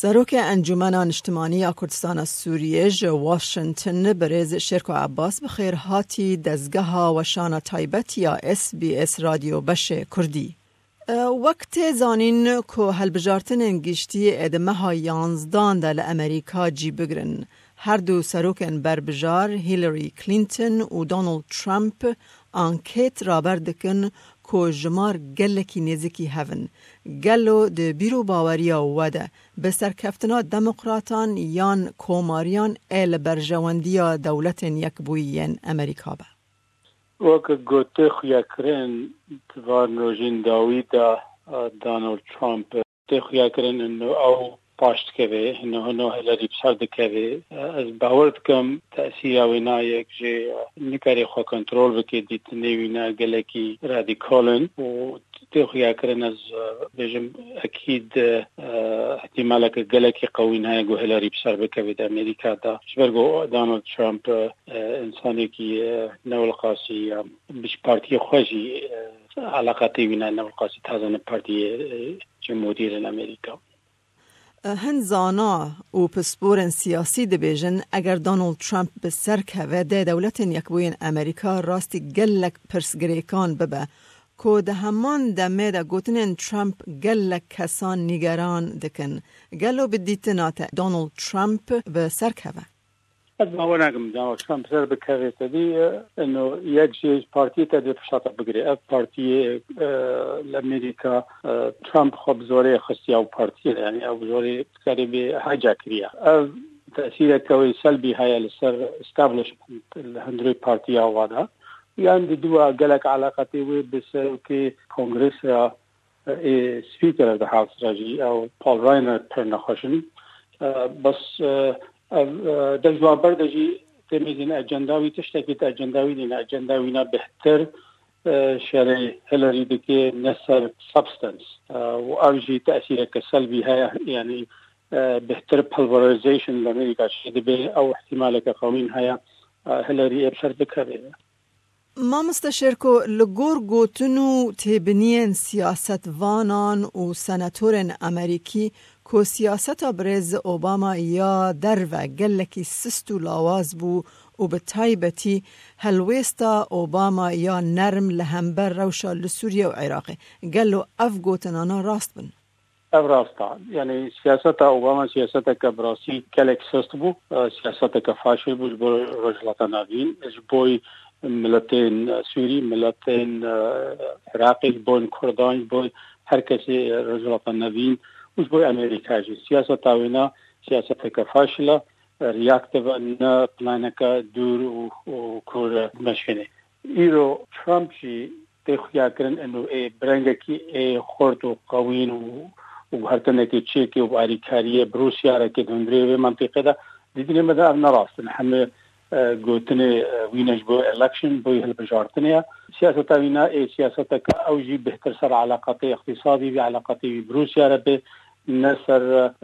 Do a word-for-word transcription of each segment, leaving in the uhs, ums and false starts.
Serokê Encûmena Niştimanî ya Kurdistana Sûriyê ji Washington, birêz Şêrko Ebbas, bi xêr hatî dezgeha weşana taybet ya S B S Radyo Beşê Kurdî. E, wek tê zanîn ku hilbijartinên giştî ê di meha yanzdan de li Amerîka cî bigirin. Her du serokên berbijar Hillary Clinton û Donald Trump anket raber dikin ku jimar gelekî nêzikî hev in. Gelo di bîr û baweriya we de bi serkeftina demokratan yan komariyan ê li berjewendiya Dewletên Yekbûyî yên Amerîka be? Weke ku tê xuyakirin, di van rojên dawî de, e, Donald Trump tê xuyakirin, ino ew paş dikeve, ino, ino Hillary bi ser dikeve. E, ez bawer dikim tesîra wê nayek jê, e, nikarê xwe kontrol bike, dîtinê wî ne gelekî radîkal in û tê xuyakirin, ez, e, bêjim ekîd, e, ihtimaleke gelekî qewîn heye ku Hillary bi ser bikeve di Amerîka de. Ji ber ku Donald Trump, e, e, insanekî, e, newilqasî, e, bi ji partiyê xwe jî, e, eleqatê wî ne, newilqasî taze ne partiyê, e, cumhurî yên Amerîka. Hin zana û pisporên siyasî dibêjin, eger Donald Trump bi ser keve, dê Dewletên Yekbûyên Amerîka rastî gelek pirsgirêkan bibe, ku di heman demê de gotinên Trump gelek kesan nîgeran dikin. Gelo bi dîtina te Donald Trump bi ser keve? Ez bawer nakim Donald Trump ser bikeve te dî, e, ino yek jê ji partiyê te dê pişta te bigire. Ev partiyê, e, li Amerîka, e, Trump xwe bi zorê xistiya û partiyê, yani ew bi zorê karê bê hijack kiriye. Ev tesîreke wê selbî heye li ser establishment, li hundirê partiya wa de. Yan di dua gelek eleqetê wê bi serokê Kongres re, ê Speaker of the House re jî ew Paul Ryan re pir nexweş in. E, bes, e, ev, e, dest ji wan berde jî tê mêzin ecenda wî tiştekî te ecenda wî nîne. Ecenda wî ne bêhtir, e, şerê Hillary dike ne ser substance. E, û ev jî tesîreke selbî heye, yani, e, bêhtir pulverization li Amerîka çêdibe, ew ihtimaleke qewîn heye, e, Hillary ê bi ser bikeve. Mamoste Şêrko, li gor gotin û têbiniyên siyasetvanan û senatorên Amerîkî ku siyaseta birêz Obama ya derve gelekî sist û lawaz bû û bi taybetî helwêsta Obama ya nerm li hember rewşa li Sûriye û Iraqê. Gelo ev gotinana rast bin? Ev rast e. Yani siyaseta Obama siyaseteke bi rastî gelek sist bû. E, siyaseteke faşil bû ji bo Rojhilata Navîn, ji bo miletên Sûrî, miletên, e, Iraqê, ji bo Kurdan, ji bo her kesê Rojhilata Navîn û ji bo Amerîka jî. Siyaseta wê ne siyaseteke faşil e, reactive e, ne planeke dûr û, û kûr meşêne. Îro Trump jî tê xuyakirin ino ê bi rengekî ê xurt û qewîn û, û guhertinekê çêkê û bi alîkariyê bi Rûsya re kê di hundirê vê mentiqê de, dîtinê me de ev ne rast in. Hemê, e, gotinê, e, wî ne ji bo election, bo hilbijartinê ye. Siyaseta wî ne ê siyaseteke ew jî bêhtir ser eleqatê iqtîsadî vî, eleqatê wî bi Rûsya re bê, ne ser,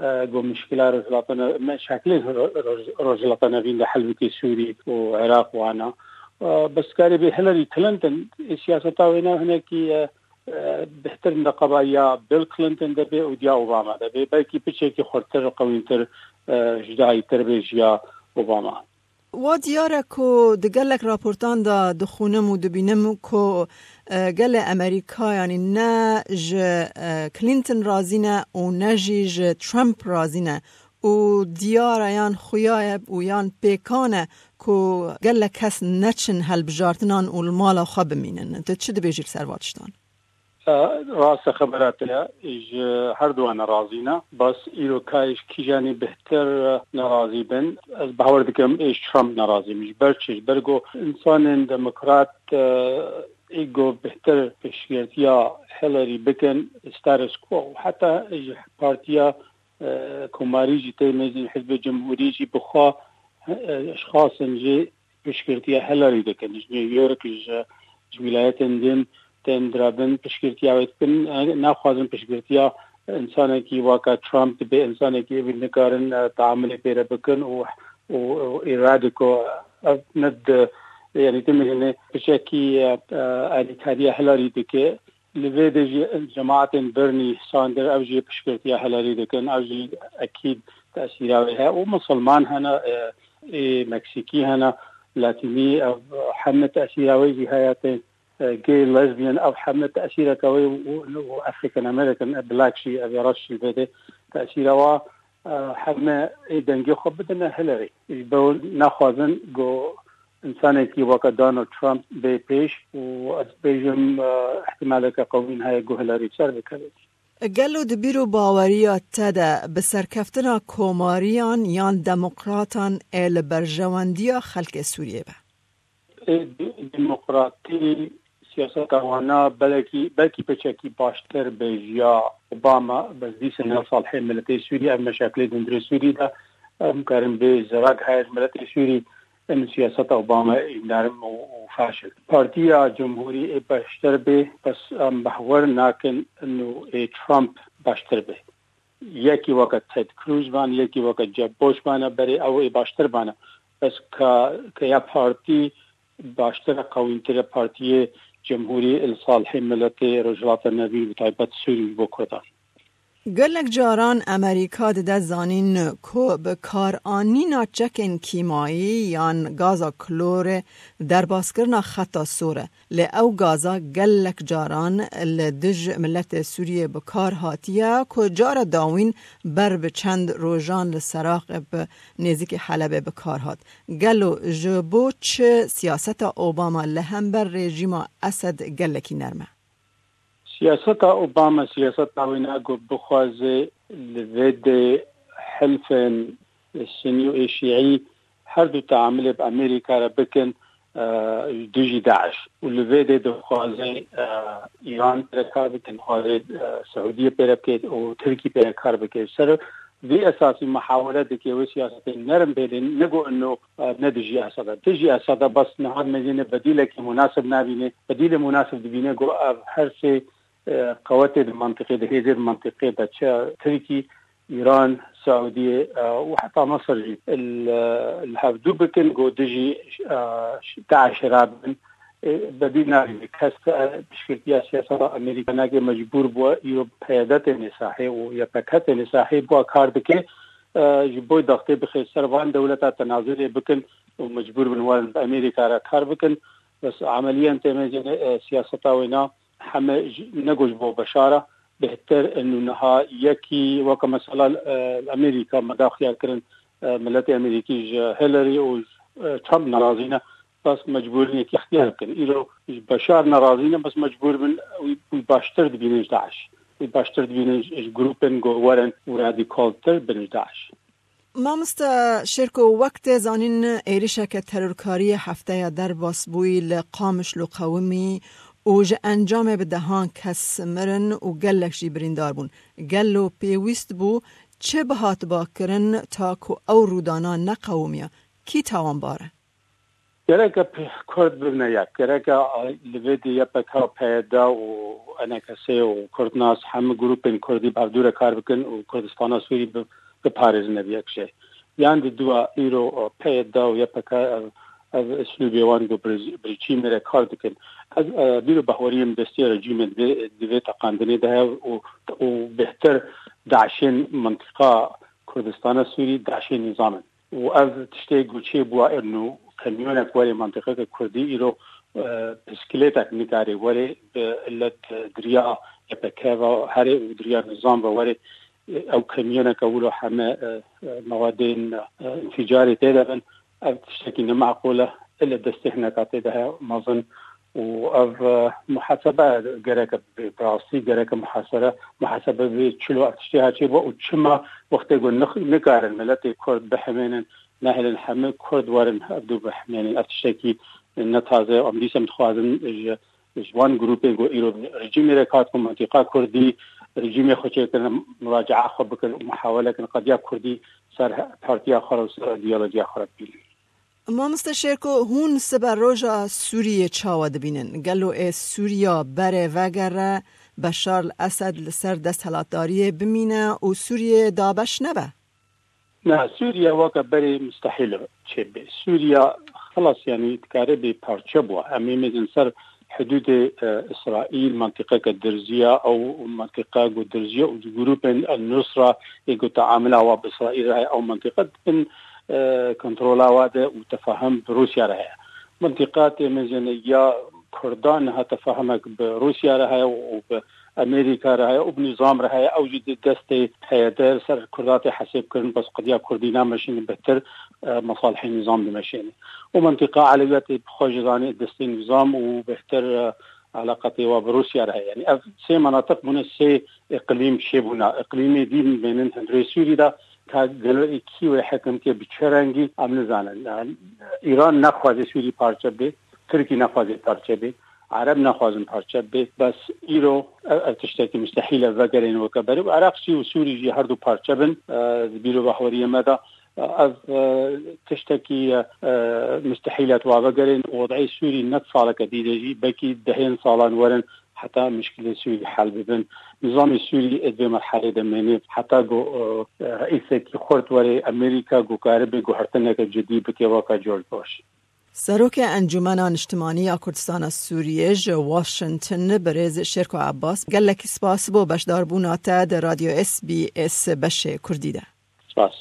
e, ku mişkila Rojhilata Ne-, me şeklê Ro-, Roj-, Rojhilata Nevîn de hel bike Sûrî û Iraq wana. E, bes karê bê Hillary Clinton, ê siyaseta wê ne hinekî, e, e, bêhtir di qebaliya Bill Clinton de bê û diya Obama de bê. Belkî piçekî xurtir, qewîntir, e, jidayîtir bê ji ya Obama. Wa diyar e ku di gelek raportan de dixwînim û dibînim ku, e, gelê Amerîka, yanî ne ji, e, Clinton razî ne û ne jî ji Trump razî ne û diyar e yan xuya ye û yan pêkan e ku gelek kes neçin hilbijartinan û li mala xwe bimînin. Tu çi dibêjî li ser van tiştan? E, rast e, xebera te ye, ji her duwa nerazî ne. Bes îro karê ji kîjanê bêhtir nerazî bin. Ez bawer dikim ê ji Trump nerazî bin. Ji ber çi? Ji ber ku însanên demokrat, e, ê ku bêhtir piştgirtiya Hillary bikin, status quo. Heta ji partiya, e, komarî jî tê mêzin, hizbê cumhurî jî bi xwe, e, eşxasên jê piştgirtiya Hillary dikin. Ji New York, ji, ji wîlayetên din tên dirabin, piştgirtiya wê dikin. Naxwazin piştgirtiya insanekî waka Trump dibe, insanekî evî nikarin, e, teamulê pê re bikin û, û, û îrade ku ev ne di, yani, tu mîrînê piçekî, e, e, alîkariya Hillary dike. Li vê de jî cemaetên Bernie Sanders ew jî piştgirtiya Hillary dikin, ew jî ekîd tesîra wê heye û misilman hene, e, ê Meksîkî hene, Latînî, ev heme tesîra wê jî heye, tên, e, gay, lesbian, ev heme tesîreke wê û, û African American, e, black jî, ev reş jî li vê de tesîra wa, e, heme ê dengê xwe bidine Hillary. Ji bo naxwazin ku insanekî weke Donald Trump bê pêş û ez bêjim, e, ihtimaleke qewîn heye ku Hillary ser bikeve. Gelo di bîr û baweriya te de bi serkeftina komariyan yan demokratan ê li berjewendiya xelkê Sûriyê be? Ê, di-, demokratî siyaseta wana belekî, belkî piçekî baştir bêjiya Obama, bes dîsa ne salihê miletê Sûrî, ev meşeklê di hundirê Sûrî de, em karin bê zirak heye ji miletê Sûrî, em siyaseta Obama ê nerm û, û faşil. Partiya Cumhurî ê baştir bê, bes em behwer nakin û ê Trump baştir bê. Yekî weke Ted Cruz bane, yekî weke Jeb Bush bane, berê ew ê baştir bane. Bes ka, ka ya partî baştir e, qewîntir e partiyê Cemhurî li salihê miletê Rojhilata Navîn, bi taybet Sûrî bo Kurdan. Gelek caran Amerîka dide zanîn ku bi karanîna çekên kîmayî yan gaza klorê derbaskirina xeta sor e. Lê ew gaza gelek caran li dij miletê Sûriyê bi kar hatiye ku cara dawîn ber bi çend rojan li Seraqê bi nêzîkî Helebê bi kar hat. Gelo ji bo çi siyaseta Obama li hember rejîma Esed gelekî nerm e? Siyaseta Obama siyaseta wê ne ku bixwaze li vê de hilfên Sunî û ê Şîî her du teamilê bi Amerîka re bikin, e, ji dijî DAIŞ. Û li vê de dixwaze, e, Îran pê re kar bike, dixwaze, e, Siûdiyê pê re bike û Tirkî pê re kar bike. Ser vî esasî muhawele dike wê siyasetên nerm bêlin, ne ku ino, e, ne dijî Esed e. Dijî Esed e, bes niha dimêjîne bedîlekî munasib nabîne. Bedîlê munasib dibîne ku ev her sê, e, qewetê di mantiqê de, hêzê di mantiqê de, çi Tirkî, Îran, Siûdiyê, e, û heta Misir jî li, li hevdû bikin, ku dijî, e, DAIŞ rabin. E, bedîl nabîne. Kes, e, piştgirtiya siyaseta Amerîka nake, mecbûr bûye îro P Y D têne sahê û Y P G têne sahê, bûye kar dike, e, ji bo dextê bixe ser van dewleta tenazulê bikin û mecbûr bin werin bi Amerîka re kar bikin. Bes emeliyen têmejîne, e, siyaseta wê na heme ji, ne ku ji bo Beşar e, bêhtir in û niha yekî weke mesela, e, Amerîka me da xiyar kirin, e, miletê Amerîkî ji Hillary û, e, Trump nerazî ne, bes mecbûr in yekî ixtiyar bikin. Îro ji Beşar nerazî ne, bes mecbûr bin wî, wî baştir dibînin ji DAIŞ. Wî baştir dibînin ji, ji grûpên ku werin û radikaltir bin ji DAIŞ. Mamoste Şêrko, wek tê zanîn, êrişeke terorkariyê hefteya derbas bûyî li Qamişlo qewimî û ji encamê bi dehan kes mirin û gelek jî birîndar bûn. Gelo pêwîst bû çi bihatba kirin ta ku ew rûdana neqewimiya? Kî tawanbar e? Gereke p-, Kurd bibine yek. Gereke, a, li vê de Y P G, P Y D û E N K S û Kurdnas hemû grûpên Kurdî bi hevdû re kar bikin û Kurdistana Sûrî bi-, biparêzin, ev yek jê. Yan di dua îro, e, P Y D û Y P G ev, ev îslûbê wan ku bi rejî-, bi rejîmê re kar dikin. Ez, e, bîr û bahweriyê min destê rejîmê di vê, di vê teqandinê de heye û, û bêhtir DAIŞên mintîqa Kurdistana Sûrî, DAIŞê nîzam in. Û ev tiştê ku çêbû, û kamyonek were mantîqeke Kurdî îro, e, piskilêtek nikare were bi illet, e, diriya Y P G ve here û diriya nizam ve were, e, ew kamyoneke wilo heme, e, e, mewadên, e, înfîcarê tê de bin. Ev tiştekî nemaqûl e. Ile destê hineka tê de heye mezin û ev, e, muhasebe gereke bi, bi rastî gereke muhasere, muhasebe bi çilo ev tiştê ha çêbû û çima wextê ku nix-, nikarin miletê Kurd bihemênin, nehêlin hemû Kurd werin hevdû bihemênin. Ev tiştekî ne taze ye. Em dîsa em dixwazin ji, ji wan grûpên ku îro rejîmê re kar dikin, mintîqa Kurdî, rejîmê xwe çêkirin, muracaa xwe bikin û muhawele kin qediya Kurdî ser he-, partiya xwe re û ser îdeolojiya xwe re bibînin. Mamoste Şêrko, hûn sibe roja Sûriyê çawa dibînin? Gelo ê Sûriya berê vegere, Beşar el Esed li ser desthilatdariyê bimîne û Sûriyê dabeş nebe? Na, Sûriye weke berê mustehîl e çêbe. Sûriye xelas, yanî dikare bê parçe bû. Em ê mêzin ser hudûdê, e, Îsraîl, mentiqeke dirziya, ew mentiqa ku dirziya û grûpên El Nusra ê ku teamila wa bi Îsraîl re heye, ew mentiqa din, e, kontrola wa de û tefahim bi Rûsya re heye. Mentiqa tê mezêne ya Kurdan niha tefahimek bi Rûsya re heye û bi Amerîka re heye û bi nîzam re heye. Ew jî di destê heye de li ser Kurda tê hesêb kirin, bes qediya Kurdî nameşînin, bêhtir, e, mesalihê nîzam dimeşêne. Û mentiqa Elewiyatê bi xwe jî zanê destê nîzam û bêhtir, e, eleqetê wa bi Rûsya re heye. Yanî ev sê menatiq bûne sê îqlîm çêbûna. Îqlîmê dî bên in hundirê Sûrî de ka gelo ê kî wê hekim ke bi çi rengî em nizanin. Yanî Îran nexwaze Sûrî parçe bê, Tirkî nexwaze parçe bê, Ereb nexwazin parçe bê. Bes îro ev, ev tiştekî mustehîl e vegerên weke berê. Iraq jî û Sûrî jî her du parçe bin, e, di bîr û bahweriyê me de. Ev, e, tiştekî, e, mustehîl e tu wa vegerên. Wed'ê Sûrî ne saleke dî de jî, belkî dehên salan werin heta mişkilê Sûrî hel bibin. Nizamê Sûrî ê di vê merhelê de mêne heta ku, e, reîsekî xurt were Amerîka ku karibe guhertineke cidî bike weke George Bush. Serokê Encûmena Niştimanî ya Kurdistana Sûriyê ji Washington, birêz Şêrko Abbas, gelekî spas bo beşdarbûna te di Radyo S B S beşê Kurdî de. Spas.